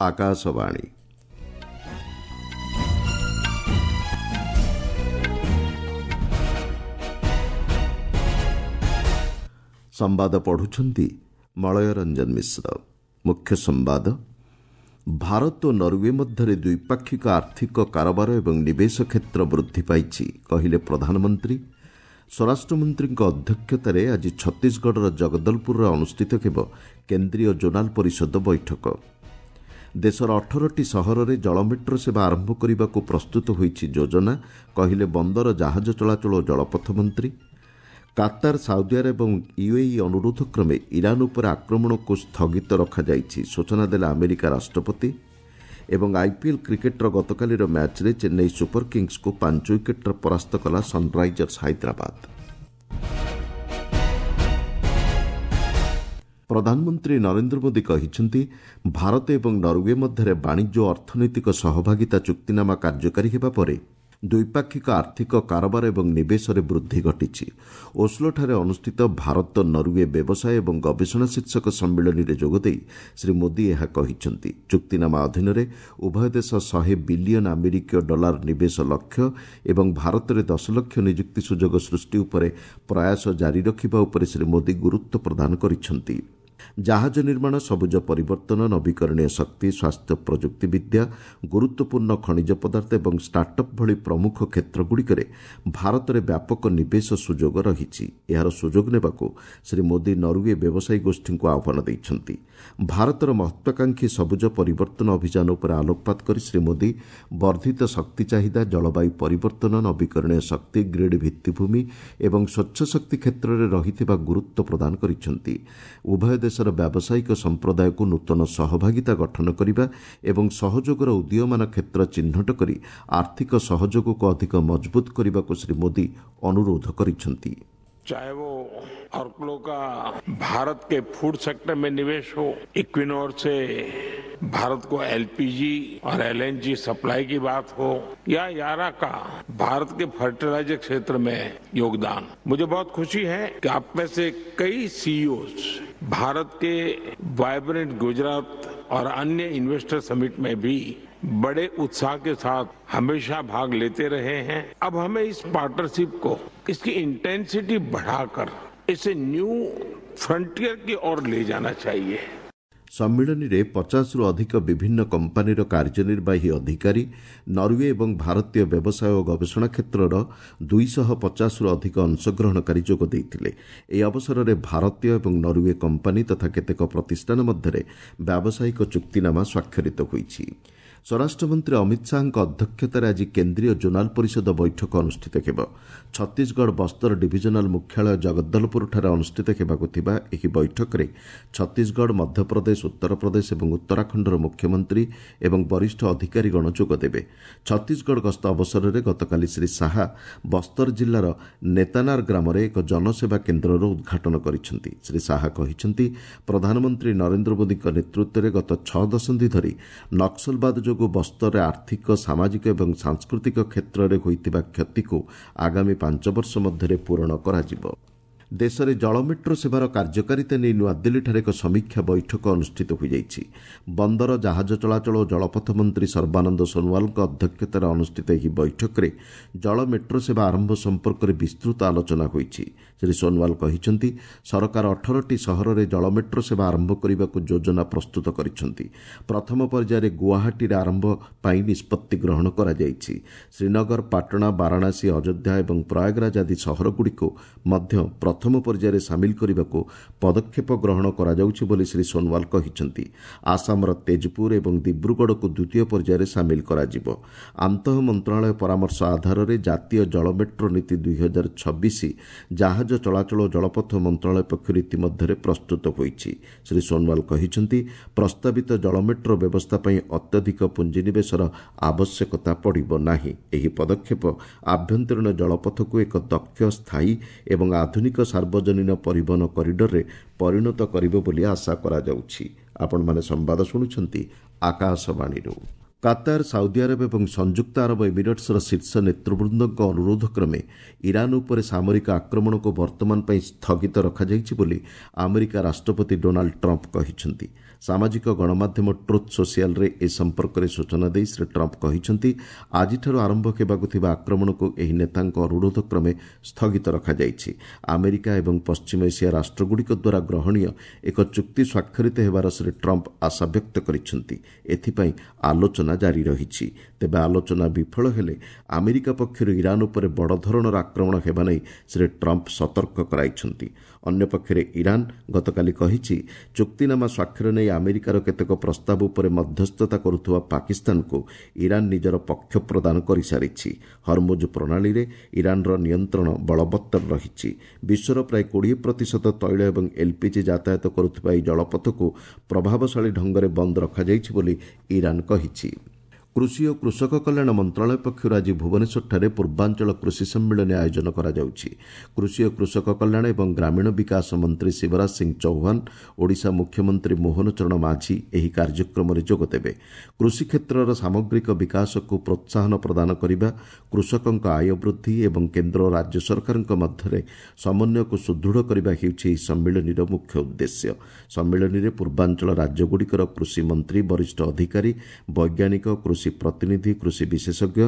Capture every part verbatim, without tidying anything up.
ଆକାଶବାଣୀ ସମ୍ବାଦ ପଢୁଛନ୍ତି ମଳୟ ରଞ୍ଜନ ମିଶ୍ର ମୁଖ୍ୟ ସମ୍ବାଦ ଭାରତ ଓ ନରୱେ ମଧ୍ୟରେ ଦ୍ୱିପାକ୍ଷିକ ଆର୍ଥିକ କାରବାର ଏବଂ ନିବେଶ କ୍ଷେତ୍ର ବୃଦ୍ଧି ପାଇଛି କହିଲେ ପ୍ରଧାନମନ୍ତ୍ରୀ ସ୍ୱରାଷ୍ଟ୍ରମନ୍ତ୍ରୀଙ୍କ ଅଧ୍ୟକ୍ଷତାରେ ଆଜି ଛତିଶଗଡ଼ର ଜଗଦଲପୁରରେ ଅନୁଷ୍ଠିତ ହେବ କେନ୍ଦ୍ରୀୟ ଜୋନାଲ ପରିଷଦ ବୈଠକ ଦେଶର ଅଠରଟି ସହରରେ ଜଳ ମେଟ୍ରୋ ସେବା ଆରମ୍ଭ କରିବାକୁ ପ୍ରସ୍ତୁତ ହୋଇଛି ଯୋଜନା କହିଲେ ବନ୍ଦର ଜାହାଜ ଚଳାଚଳ ଓ ଜଳପଥ ମନ୍ତ୍ରୀ କାତାର ସାଉଦି ଆରବ ଏବଂ ୟୁଏଇ ଅନୁରୋଧ କ୍ରମେ ଇରାନ ଉପରେ ଆକ୍ରମଣକୁ ସ୍ଥଗିତ ରଖାଯାଇଛି ସୂଚନା ଦେଲେ ଆମେରିକା ରାଷ୍ଟ୍ରପତି ଏବଂ ଆଇପିଏଲ୍ କ୍ରିକେଟ୍ର ଗତକାଲିର ମ୍ୟାଚ୍ରେ ଚେନ୍ନାଇ ସୁପର କିଙ୍ଗସ୍କୁ ପାଞ୍ଚ ୱିକେଟ୍ରେ ପରାସ୍ତ କଲା ସନ୍ରାଇଜର୍ସ ହାଇଦ୍ରାବାଦ ପ୍ରଧାନମନ୍ତ୍ରୀ ନରେନ୍ଦ୍ର ମୋଦି କହିଛନ୍ତି ଭାରତ ଏବଂ ନରୱେ ମଧ୍ୟରେ ବାଣିଜ୍ୟ ଓ ଅର୍ଥନୈତିକ ସହଭାଗିତା ଚୁକ୍ତିନାମା କାର୍ଯ୍ୟକାରୀ ହେବା ପରେ ଦ୍ୱିପାକ୍ଷିକ ଆର୍ଥିକ କାରବାର ଏବଂ ନିବେଶରେ ବୃଦ୍ଧି ଘଟିଛି ଓସ୍ଲୋଠାରେ ଅନୁଷ୍ଠିତ ଭାରତ ନରୱେ ବ୍ୟବସାୟ ଏବଂ ଗବେଷଣା ଶୀର୍ଷକ ସମ୍ମିଳନୀରେ ଯୋଗଦେଇ ଶ୍ରୀ ମୋଦି ଏହା କହିଛନ୍ତି ଚୁକ୍ତିନାମା ଅଧୀନରେ ଉଭୟ ଦେଶ ଶହେ ବିଲିୟନ ଆମେରିକୀୟ ଡଲାର ନିବେଶ ଲକ୍ଷ୍ୟ ଏବଂ ଭାରତରେ ଦଶ ଲକ୍ଷ ନିଯୁକ୍ତି ସୁଯୋଗ ସୃଷ୍ଟି ଉପରେ ପ୍ରୟାସ ଜାରି ରଖିବା ଉପରେ ଶ୍ରୀ ମୋଦି ଗୁରୁତ୍ୱ ପ୍ରଦାନ କରିଛନ୍ତି ଜାହାଜ ନିର୍ମାଣ ସବୁଜ ପରିବର୍ତ୍ତନ ନବୀକରଣୀୟ ଶକ୍ତି ସ୍ୱାସ୍ଥ୍ୟ ପ୍ରଯୁକ୍ତିବିଦ୍ୟା ଗୁରୁତ୍ୱପୂର୍ଣ୍ଣ ଖଣିଜ ପଦାର୍ଥ ଏବଂ ଷ୍ଟାର୍ଟଅପ୍ ଭଳି ପ୍ରମୁଖ କ୍ଷେତ୍ରଗୁଡ଼ିକରେ ଭାରତରେ ବ୍ୟାପକ ନିବେଶ ସୁଯୋଗ ରହିଛି ଏହାର ସୁଯୋଗ ନେବାକୁ ଶ୍ରୀ ମୋଦି ନରୱେ ବ୍ୟବସାୟୀ ଗୋଷ୍ଠୀଙ୍କୁ ଆହ୍ୱାନ ଦେଇଛନ୍ତି ଭାରତର ମହତ୍ୱାକାଂକ୍ଷୀ ସବୁଜ ପରିବର୍ତ୍ତନ ଅଭିଯାନ ଉପରେ ଆଲୋକପାତ କରି ଶ୍ରୀ ମୋଦି ବର୍ଦ୍ଧିତ ଶକ୍ତି ଚାହିଦା ଜଳବାୟୁ ପରିବର୍ତ୍ତନ ନବୀକରଣୀୟ ଶକ୍ତି ଗ୍ରୀଡ୍ ଭିତ୍ତିଭୂମି ଏବଂ ସ୍ୱଚ୍ଛ ଶକ୍ତି କ୍ଷେତ୍ରରେ ରହିଥିବା ଗୁରୁତ୍ୱ ପ୍ରଦାନ କରିଛନ୍ତି ଉଭୟ ଦେଶର ବ୍ୟାବସାୟିକ ସମ୍ପ୍ରଦାୟକୁ ନୂତନ ସହଭାଗିତା ଗଠନ କରିବା ଏବଂ ସହଯୋଗର ଉଦୀୟମାନ କ୍ଷେତ୍ର ଚିହ୍ନଟ କରି ଆର୍ଥିକ ସହଯୋଗକୁ ଅଧିକ ମଜବୁତ କରିବାକୁ ଶ୍ରୀ ମୋଦି ଅନୁରୋଧ କରିଛନ୍ତି चाहे वो ऑर्कलो का भारत के फूड सेक्टर में निवेश हो इक्विनोर से भारत को एलपीजी और एलएनजी सप्लाई की बात हो या यारा का भारत के फर्टिलाइजर क्षेत्र में योगदान मुझे बहुत खुशी है कि आप में से कई सीईओ भारत के वाइब्रेंट गुजरात और अन्य इन्वेस्टर समिट में भी बड़े उत्साह के साथ हमेशा भाग लेते रहे हैं अब हमें इस पार्टनरशिप को इसकी इंटेंसिटी बढ़ाकर इसे न्यू फ्रंटियर की ओर ले जाना चाहिए ସମ୍ମିଳନୀରେ ପଚାଶରୁ ଅଧିକ ବିଭିନ୍ନ କମ୍ପାନୀର କାର୍ଯ୍ୟନିର୍ବାହୀ ଅଧିକାରୀ ନରୱେ ଏବଂ ଭାରତୀୟ ବ୍ୟବସାୟ ଓ ଗବେଷଣା କ୍ଷେତ୍ରର ଦୁଇଶହ ପଚାଶରୁ ଅଧିକ ଅଂଶଗ୍ରହଣକାରୀ ଯୋଗ ଦେଇଥିଲେ ଏହି ଅବସରରେ ଭାରତୀୟ ଏବଂ ନରୱେ କମ୍ପାନୀ ତଥା କେତେକ ପ୍ରତିଷ୍ଠାନ ମଧ୍ୟରେ ବ୍ୟାବସାୟିକ ଚୁକ୍ତିନାମା ସ୍ୱାକ୍ଷରିତ ହୋଇଛି ସ୍ୱରାଷ୍ଟ୍ରମନ୍ତ୍ରୀ ଅମିତ ଶାହାଙ୍କ ଅଧ୍ୟକ୍ଷତାରେ ଆଜି କେନ୍ଦ୍ରୀୟ ଜୋନାଲ ପରିଷଦ ବୈଠକ ଅନୁଷ୍ଠିତ ହେବ ଛତିଶଗଡ଼ ବସ୍ତର ଡିଭିଜନାଲ ମୁଖ୍ୟାଳୟ ଜଗଦଲପୁରଠାରେ ଅନୁଷ୍ଠିତ ହେବାକୁ ଥିବା ଏହି ବୈଠକରେ ଛତିଶଗଡ଼ ମଧ୍ୟପ୍ରଦେଶ ଉତ୍ତରପ୍ରଦେଶ ଏବଂ ଉତ୍ତରାଖଣ୍ଡର ମୁଖ୍ୟମନ୍ତ୍ରୀ ଏବଂ ବରିଷ୍ଠ ଅଧିକାରୀଗଣ ଯୋଗଦେବେ ଛତିଶଗଡ଼ ଗସ୍ତ ଅବସରରେ ଗତକାଲି ଶ୍ରୀ ଶାହା ବସ୍ତର ଜିଲ୍ଲାର ନେତାନାର ଗ୍ରାମରେ ଏକ ଜନସେବା କେନ୍ଦ୍ରର ଉଦ୍ଘାଟନ କରିଛନ୍ତି ଶ୍ରୀ ଶାହା କହିଛନ୍ତି ପ୍ରଧାନମନ୍ତ୍ରୀ ନରେନ୍ଦ୍ର ମୋଦିଙ୍କ ନେତୃତ୍ୱରେ ଗତ ଛଅ ଦଶନ୍ଧି ଧରି ନକ୍ସଲବାଦ ଯୋଗୁଁ ବସ୍ତରରେ ଆର୍ଥିକ ସାମାଜିକ ଏବଂ ସାଂସ୍କୃତିକ କ୍ଷେତ୍ରରେ ହୋଇଥିବା କ୍ଷତିକୁ ଆଗାମୀ ପାଞ୍ଚ ବର୍ଷ ମଧ୍ୟରେ ପୂରଣ କରାଯିବ ଦେଶରେ ଜଳ ମେଟ୍ରୋ ସେବାର କାର୍ଯ୍ୟକାରିତା ନେଇ ନୂଆଦିଲ୍ଲୀଠାରେ ଏକ ସମୀକ୍ଷା ବୈଠକ ଅନୁଷ୍ଠିତ ହୋଇଯାଇଛି ବନ୍ଦର ଜାହାଜ ଚଳାଚଳ ଓ ଜଳପଥ ମନ୍ତ୍ରୀ ସର୍ବାନନ୍ଦ ସୋନୱାଲଙ୍କ ଅଧ୍ୟକ୍ଷତାରେ ଅନୁଷ୍ଠିତ ଏହି ବୈଠକରେ ଜଳ ମେଟ୍ରୋ ସେବା ଆରମ୍ଭ ସମ୍ପର୍କରେ ବିସ୍ତୃତ ଆଲୋଚନା ହୋଇଛି ଶ୍ରୀ ସୋନୱାଲ କହିଛନ୍ତି ସରକାର ଅଠରଟି ସହରରେ ଜଳ ମେଟ୍ରୋ ସେବା ଆରମ୍ଭ କରିବାକୁ ଯୋଜନା ପ୍ରସ୍ତୁତ କରିଛନ୍ତି ପ୍ରଥମ ପର୍ଯ୍ୟାୟରେ ଗୁଆହାଟୀରେ ଆରମ୍ଭ ପାଇଁ ନିଷ୍ପତ୍ତି ଗ୍ରହଣ କରାଯାଇଛି ଶ୍ରୀନଗର ପାଟଣା ବାରାଣାସୀ ଅଯୋଧ୍ୟା ଏବଂ ପ୍ରୟାଗରାଜ ଆଦି ସହରଗୁଡ଼ିକୁ ମଧ୍ୟ ପ୍ରଥମ ପର୍ଯ୍ୟାୟରେ ସାମିଲ କରିବାକୁ ପଦକ୍ଷେପ ଗ୍ରହଣ କରାଯାଉଛି ବୋଲି ଶ୍ରୀ ସୋନୱାଲ କହିଛନ୍ତି ଆସାମର ତେଜପୁର ଏବଂ ଦିବ୍ରୁଗଡ଼କୁ ଦ୍ୱିତୀୟ ପର୍ଯ୍ୟାୟରେ ସାମିଲ କରାଯିବ ଆନ୍ତଃ ମନ୍ତ୍ରଣାଳୟ ପରାମର୍ଶ ଆଧାରରେ ଜାତୀୟ ଜଳ ମେଟ୍ରୋ ନୀତି ଦୁଇ ହଜାର ଛବିଶ ଜାହାଜ ଚଳାଚଳ ଓ ଜଳପଥ ମନ୍ତ୍ରଣାଳୟ ପକ୍ଷରୁ ଇତିମଧ୍ୟରେ ପ୍ରସ୍ତୁତ ହୋଇଛି ଶ୍ରୀ ସୋନୱାଲ କହିଛନ୍ତି ପ୍ରସ୍ତାବିତ ଜଳ ମେଟ୍ରୋ ବ୍ୟବସ୍ଥା ପାଇଁ ଅତ୍ୟଧିକ ପୁଞ୍ଜିନିବେଶର ଆବଶ୍ୟକତା ପଡ଼ିବ ନାହିଁ ଏହି ପଦକ୍ଷେପ ଆଭ୍ୟନ୍ତରୀଣ ଜଳପଥକୁ ଏକ ଦକ୍ଷ ସ୍ଥାୟୀ ଏବଂ ଆଧୁନିକ ସାର୍ବଜନୀନ ପରିବହନ କରିଡରରେ ପରିଣତ କରିବ ବୋଲି ଆଶା କରାଯାଉଛି ଆପଣମାନେ ସମ୍ବାଦ ଶୁଣୁଛନ୍ତି ଆକାଶବାଣୀରୁ କାତାର, ସାଉଦି ଆରବ ଏବଂ ସଂଯୁକ୍ତ ଆରବ ଏମିରେଟ୍ସର ଶୀର୍ଷ ନେତୃବୃନ୍ଦଙ୍କ ଅନୁରୋଧ କ୍ରମେ ଇରାନ୍ ଉପରେ ସାମରିକ ଆକ୍ରମଣକୁ ବର୍ତ୍ତମାନ ପାଇଁ ସ୍ଥଗିତ ରଖାଯାଇଛି ବୋଲି ଆମେରିକା ରାଷ୍ଟ୍ରପତି ଡୋନାଲ୍ଡ ଟ୍ରମ୍ପ କହିଛନ୍ତି। ସାମାଜିକ ଗଣମାଧ୍ୟମ ଟ୍ରୁଥ୍ ସୋସିଆଲରେ ଏ ସମ୍ପର୍କରେ ସୂଚନା ଦେଇ ଶ୍ରୀ ଟ୍ରମ୍ପ କହିଛନ୍ତି, ଆଜିଠାରୁ ଆରମ୍ଭ ହେବାକୁ ଥିବା ଆକ୍ରମଣକୁ ଏହି ନେତାଙ୍କ ଅନୁରୋଧ କ୍ରମେ ସ୍ଥଗିତ ରଖାଯାଇଛି। ଆମେରିକା ଏବଂ ପଶ୍ଚିମ ଏସିଆ ରାଷ୍ଟ୍ରଗୁଡ଼ିକ ଦ୍ୱାରା ଗ୍ରହଣୀୟ ଏକ ଚୁକ୍ତି ସ୍ୱାକ୍ଷରିତ ହେବାର ଶ୍ରୀ ଟ୍ରମ୍ପ ଆଶାବ୍ୟକ୍ତ କରିଛନ୍ତି। ଏଥିପାଇଁ ଆଲୋଚନା ଜାରି ରହିଛି। ତେବେ ଆଲୋଚନା ବିଫଳ ହେଲେ ଆମେରିକା ପକ୍ଷରୁ ଇରାନ୍ ଉପରେ ବଡ଼ ଧରଣର ଆକ୍ରମଣ ହେବା ନେଇ ଶ୍ରୀ ଟ୍ରମ୍ପ ସତର୍କ କରାଇଛନ୍ତି। ଅନ୍ୟପକ୍ଷରେ ଇରାନ୍ ଗତକାଲି କହିଛି, ଚୁକ୍ତିନାମା ସ୍ୱାକ୍ଷର ନେଇ ଆମେରିକାର କେତେକ ପ୍ରସ୍ତାବ ଉପରେ ମଧ୍ୟସ୍ଥତା କରୁଥିବା ପାକିସ୍ତାନକୁ ଇରାନ୍ ନିଜର ପକ୍ଷ ପ୍ରଦାନ କରିସାରିଛି। ହରମୁଜ ପ୍ରଣାଳୀରେ ଇରାନ୍ର ନିୟନ୍ତ୍ରଣ ବଳବତ୍ତର ରହିଛି। ବିଶ୍ୱର ପ୍ରାୟ କୋଡ଼ିଏ ପ୍ରତିଶତ ତୈଳ ଏବଂ ଏଲ୍ପିଜି ଯାତାୟାତ କରୁଥିବା ଏହି ଜଳପଥକୁ ପ୍ରଭାବଶାଳୀ ଢଙ୍ଗରେ ବନ୍ଦ ରଖାଯାଇଛି ବୋଲି ଇରାନ୍ କହିଛି। କୃଷି ଓ କୃଷକ କଲ୍ୟାଣ ମନ୍ତ୍ରଣାଳୟ ପକ୍ଷରୁ ଆଜି ଭୁବନେଶ୍ୱରଠାରେ ପୂର୍ବାଞ୍ଚଳ କୃଷି ସମ୍ମିଳନୀ ଆୟୋଜନ କରାଯାଉଛି। କୃଷି ଓ କୃଷକ କଲ୍ୟାଣ ଏବଂ ଗ୍ରାମୀଣ ବିକାଶ ମନ୍ତ୍ରୀ ଶିବରାଜ ସିଂ ଚୌହାନ, ଓଡ଼ିଶା ମୁଖ୍ୟମନ୍ତ୍ରୀ ମୋହନ ଚରଣ ମାଝୀ ଏହି କାର୍ଯ୍ୟକ୍ରମରେ ଯୋଗଦେବେ। କୃଷି କ୍ଷେତ୍ରର ସାମଗ୍ରିକ ବିକାଶକୁ ପ୍ରୋତ୍ସାହନ ପ୍ରଦାନ କରିବା, କୃଷକଙ୍କ ଆୟ ବୃଦ୍ଧି ଏବଂ କେନ୍ଦ୍ର ଓ ରାଜ୍ୟ ସରକାରଙ୍କ ମଧ୍ୟରେ ସମନ୍ୱୟକୁ ସୁଦୃଢ଼ କରିବା ହେଉଛି ଏହି ସମ୍ମିଳନୀର ମୁଖ୍ୟ ଉଦ୍ଦେଶ୍ୟ। ସମ୍ମିଳନୀରେ ପୂର୍ବାଞ୍ଚଳ ରାଜ୍ୟଗୁଡ଼ିକର କୃଷି ମନ୍ତ୍ରୀ, ବରିଷ୍ଠ ଅଧିକାରୀ, ବୈଜ୍ଞାନିକ, କୃଷି ପ୍ରତିନିଧି, କୃଷି ବିଶେଷଜ୍ଞ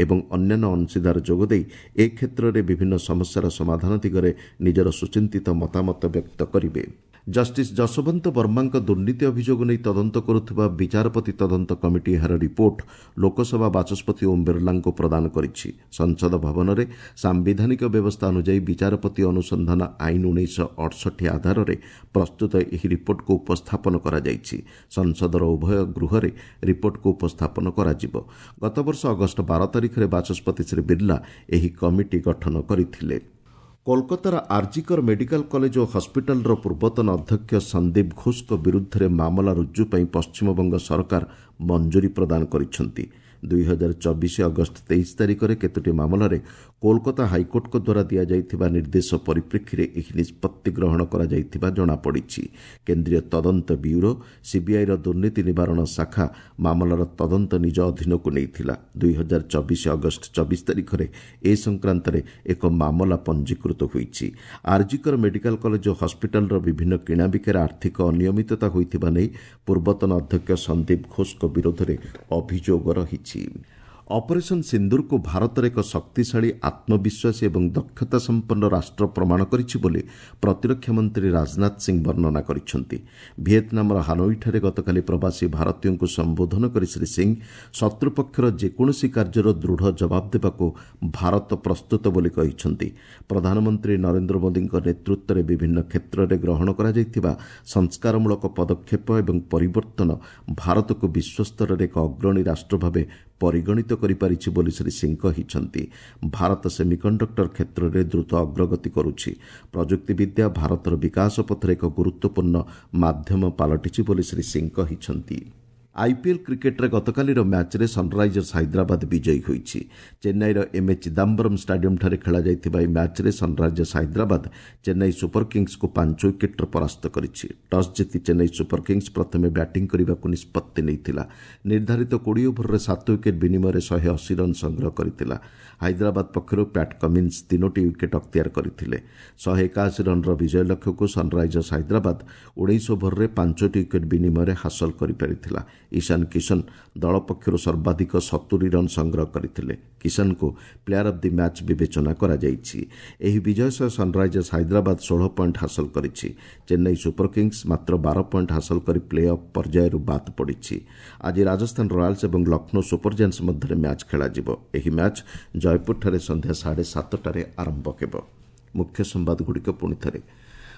ଏବଂ ଅନ୍ୟାନ୍ୟ ଅଂଶୀଦାର ଯୋଗଦେଇ ଏ କ୍ଷେତ୍ରରେ ବିଭିନ୍ନ ସମସ୍ୟାର ସମାଧାନ ଦିଗରେ ନିଜର ସୁଚିନ୍ତିତ ମତାମତ ବ୍ୟକ୍ତ କରିବେ। ଜଷ୍ଟିସ୍ ଯଶୋବନ୍ତ ବର୍ମାଙ୍କ ଦୁର୍ନୀତି ଅଭିଯୋଗ ନେଇ ତଦନ୍ତ କରୁଥିବା ବିଚାରପତି ତଦନ୍ତ କମିଟି ଏହାର ରିପୋର୍ଟ ଲୋକସଭା ବାଚସ୍ପତି ଓମ୍ ବିର୍ଲାଙ୍କୁ ପ୍ରଦାନ କରିଛି। ସଂସଦ ଭବନରେ ସାମ୍ବିଧାନିକ ବ୍ୟବସ୍ଥା ଅନୁଯାୟୀ ବିଚାରପତି ଅନୁସନ୍ଧାନ ଆଇନ ଉଣେଇଶହ ଅଠଷଠି ଆଧାରରେ ପ୍ରସ୍ତୁତ ଏହି ରିପୋର୍ଟକୁ ଉପସ୍ଥାପନ କରାଯାଇଛି। ସଂସଦର ଉଭୟ ଗୃହରେ ରିପୋର୍ଟକୁ ଉପସ୍ଥାପନ କରାଯିବ। ଗତବର୍ଷ ଅଗଷ୍ଟ ବାର ତାରିଖରେ ବାଚସ୍ପତି ଶ୍ରୀ ବିର୍ଲା ଏହି କମିଟି ଗଠନ କରିଥିଲେ। କୋଲକାତାର ଆର୍ଜିକର ମେଡିକାଲ କଲେଜ ଓ ହସ୍ପିଟାଲର ପୂର୍ବତନ ଅଧ୍ୟକ୍ଷ ସନ୍ଦୀପ ଘୋଷଙ୍କ ବିରୁଦ୍ଧରେ ମାମଲା ରୁଜୁ ପାଇଁ ପଶ୍ଚିମବଙ୍ଗ ସରକାର ମଞ୍ଜୁରୀ ପ୍ରଦାନ କରିଛନ୍ତି। ଦୁଇ ହଜାର ଚବିଶ ଅଗଷ୍ଟ ତେଇଶ ତାରିଖରେ କେତୋଟି ମାମଲାରେ କୋଲକାତା ହାଇକୋର୍ଟଙ୍କ ଦ୍ୱାରା ଦିଆଯାଇଥିବା ନିର୍ଦ୍ଦେଶ ପରିପ୍ରେକ୍ଷୀରେ ଏହି ନିଷ୍ପତ୍ତି ଗ୍ରହଣ କରାଯାଇଥିବା ଜଣାପଡ଼ିଛି। କେନ୍ଦ୍ରୀୟ ତଦନ୍ତ ବ୍ୟୁରୋ ସିବିଆଇର ଦୁର୍ନୀତି ନିବାରଣ ଶାଖା ମାମଲାର ତଦନ୍ତ ନିଜ ଅଧୀନକୁ ନେଇଥିଲା। ଦୁଇ ହଜାର ଚବିଶ ଅଗଷ୍ଟ ଚବିଶ ତାରିଖରେ ଏ ସଂକ୍ରାନ୍ତରେ ଏକ ମାମଲା ପଞ୍ଜୀକୃତ ହୋଇଛି। ଆର୍ଜିକର ମେଡିକାଲ କଲେଜ ଓ ହସ୍ପିଟାଲର ବିଭିନ୍ନ କିଣାବିକାରେ ଆର୍ଥିକ ଅନିୟମିତତା ହୋଇଥିବା ନେଇ ପୂର୍ବତନ ଅଧ୍ୟକ୍ଷ ସନ୍ଦୀପ ଘୋଷଙ୍କ ବିରୋଧରେ ଅଭିଯୋଗ ରହିଛି। ଅପରେସନ୍ ସିନ୍ଦୁରକୁ ଭାରତର ଏକ ଶକ୍ତିଶାଳୀ, ଆତ୍ମବିଶ୍ୱାସୀ ଏବଂ ଦକ୍ଷତା ସମ୍ପନ୍ନ ରାଷ୍ଟ୍ର ପ୍ରମାଣ କରିଛି ବୋଲି ପ୍ରତିରକ୍ଷା ମନ୍ତ୍ରୀ ରାଜନାଥ ସିଂ ବର୍ଣ୍ଣନା କରିଛନ୍ତି। ଭିଏତନାମର ହାନୋଇଠାରେ ଗତକାଲି ପ୍ରବାସୀ ଭାରତୀୟଙ୍କୁ ସମ୍ବୋଧନ କରି ଶ୍ରୀ ସିଂ ଶତ୍ରୁପକ୍ଷର ଯେକୌଣସି କାର୍ଯ୍ୟର ଦୃଢ଼ ଜବାବ ଦେବାକୁ ଭାରତ ପ୍ରସ୍ତୁତ ବୋଲି କହିଛନ୍ତି। ପ୍ରଧାନମନ୍ତ୍ରୀ ନରେନ୍ଦ୍ର ମୋଦିଙ୍କ ନେତୃତ୍ୱରେ ବିଭିନ୍ନ କ୍ଷେତ୍ରରେ ଗ୍ରହଣ କରାଯାଇଥିବା ସଂସ୍କାରମୂଳକ ପଦକ୍ଷେପ ଏବଂ ପରିବର୍ତ୍ତନ ଭାରତକୁ ବିଶ୍ୱସ୍ତରରେ ଏକ ଅଗ୍ରଣୀ ରାଷ୍ଟ୍ର ଭାବେ ପରିଗଣିତ କରିପାରିଛି ବୋଲି ଶ୍ରୀ ସିଂ କହିଛନ୍ତି। ଭାରତ ସେମିକଣ୍ଡକ୍ଟର କ୍ଷେତ୍ରରେ ଦ୍ରୁତ ଅଗ୍ରଗତି କରୁଛି। ପ୍ରଯୁକ୍ତିବିଦ୍ୟା ଭାରତର ବିକାଶ ପଥରେ ଏକ ଗୁରୁତ୍ୱପୂର୍ଣ୍ଣ ମାଧ୍ୟମ ପାଲଟିଛି ବୋଲି ଶ୍ରୀ ସିଂ କହିଛନ୍ତି। ଆଇପିଏଲ୍ କ୍ରିକେଟ୍ରେ ଗତକାଲିର ମ୍ୟାଚ୍ରେ ସନ୍ରାଇଜର୍ସ ହାଇଦ୍ରାବାଦ ବିଜୟୀ ହୋଇଛି। ଚେନ୍ନାଇର ଏମ୍ ଏ ଚିଦାମ୍ବରମ୍ ଷ୍ଟାଡିୟମ୍ଠାରେ ଖେଳାଯାଇଥିବା ଏହି ମ୍ୟାଚ୍ରେ ସନ୍ରାଇଜର୍ସ ହାଇଦ୍ରାବାଦ ଚେନ୍ନାଇ ସୁପର କିଙ୍ଗସ୍କୁ ପାଞ୍ଚ ୱିକେଟ୍ରେ ପରାସ୍ତ କରିଛି। ଟସ୍ ଜିତି ଚେନ୍ନାଇ ସୁପର କିଙ୍ଗସ୍ ପ୍ରଥମେ ବ୍ୟାଟିଂ କରିବାକୁ ନିଷ୍ପତ୍ତି ନେଇଥିଲା। ନିର୍ଦ୍ଧାରିତ କୋଡ଼ିଏ ଓଭରରେ ସାତ ୱିକେଟ୍ ବିନିମୟରେ ଶହେ ଅଶୀ ରନ୍ ସଂଗ୍ରହ କରିଥିଲା। ହାଇଦ୍ରାବାଦ ପକ୍ଷରୁ ପ୍ୟାଟ୍ କମିନ୍ସ ତିନୋଟି ୱିକେଟ୍ ଅକ୍ତିଆର କରିଥିଲେ। ଶହେ ଏକାଅଶୀ ରନ୍ର ବିଜୟ ଲକ୍ଷ୍ୟକୁ ସନ୍ରାଇଜର୍ସ ହାଇଦ୍ରାବାଦ ଉଣେଇଶ ଓଭରରେ ପାଞ୍ଚଟି ୱିକେଟ୍ ବିନିମୟରେ ହାସଲ କରିପାରିଥିଲା। ଇଶାନ କିଶନ ଦଳ ପକ୍ଷରୁ ସର୍ବାଧିକ ସତୁରି ରନ୍ ସଂଗ୍ରହ କରିଥିଲେ। କିଶନଙ୍କୁ ପ୍ଲେୟାର ଅଫ୍ the match ବିବେଚନା କରାଯାଇଛି। ଏହି ବିଜୟ ସହ ସନ୍ରାଇଜର୍ସ ହାଇଦ୍ରାବାଦ ଷୋହଳ ପଏଣ୍ଟ ହାସଲ କରିଛି। ଚେନ୍ନାଇ ସୁପର କିଙ୍ଗସ୍ ମାତ୍ର ବାର ପଏଣ୍ଟ ହାସଲ କରି ପ୍ଲେ ଅଫ୍ ପର୍ଯ୍ୟାୟରୁ ବାଦ୍ ପଡ଼ିଛି। ଆଜି ରାଜସ୍ଥାନ ରୟାଲ୍ସ ଏବଂ ଲକ୍ଷ୍ନୌ ସୁପର ଜାଏଣ୍ଟସ୍ ମଧ୍ୟରେ ମ୍ୟାଚ୍ ଖେଳାଯିବ। ଏହି ମ୍ୟାଚ୍ ଜୟପୁରଠାରେ ସନ୍ଧ୍ୟା ସାଢ଼େ ସାତଟାରେ ଆରମ୍ଭ ହେବ। ମୁଖ୍ୟ ସମ୍ବାଦଗୁଡ଼ିକ ପୁଣି ଥରେ।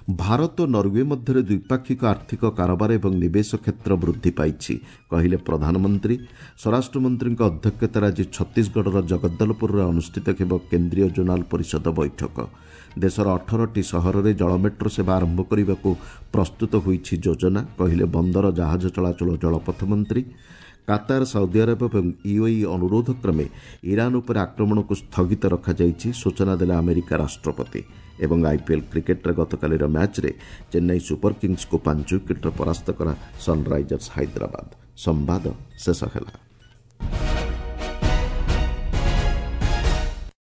ଭାରତ ଓ ନରୱେ ମଧ୍ୟରେ ଦ୍ୱିପାକ୍ଷିକ ଆର୍ଥିକ କାରବାର ଏବଂ ନିବେଶ କ୍ଷେତ୍ର ବୃଦ୍ଧି ପାଇଛି, କହିଲେ ପ୍ରଧାନମନ୍ତ୍ରୀ। ସ୍ୱରାଷ୍ଟ୍ରମନ୍ତ୍ରୀଙ୍କ ଅଧ୍ୟକ୍ଷତାରେ ଆଜି ଛତିଶଗଡ଼ର ଜଗଦ୍ଦଲପୁରରେ ଅନୁଷ୍ଠିତ ହେବ କେନ୍ଦ୍ରୀୟ ଜୋନାଲ ପରିଷଦ ବୈଠକ। ଦେଶର ଅଠରଟି ସହରରେ ଜଳ ମେଟ୍ରୋ ସେବା ଆରମ୍ଭ କରିବାକୁ ପ୍ରସ୍ତୁତ ହୋଇଛି ଯୋଜନା, କହିଲେ ବନ୍ଦର ଜାହାଜ ଚଳାଚଳ ଜଳପଥ ମନ୍ତ୍ରୀ। କାତାର, ସାଉଦି ଆରବ ଏବଂ ୟୁଏଇ ଅନୁରୋଧ କ୍ରମେ ଇରାନ୍ ଉପରେ ଆକ୍ରମଣକୁ ସ୍ଥଗିତ ରଖାଯାଇଛି, ସୂଚନା ଦେଲେ ଆମେରିକା ରାଷ୍ଟ୍ରପତି। ଏବଂ ଆଇପିଏଲ୍ କ୍ରିକେଟ୍ରେ ଗତକାଲିର ମ୍ୟାଚ୍ରେ ଚେନ୍ନାଇ ସୁପର କିଙ୍ଗସ୍କୁ ପାଞ୍ଚ ୱିକେଟ୍ରେ ପରାସ୍ତ କଲା ସନ୍ରାଇଜର୍ସ ହାଇଦ୍ରାବାଦ। ସମ୍ବାଦ ଶେଷ ହେଲା।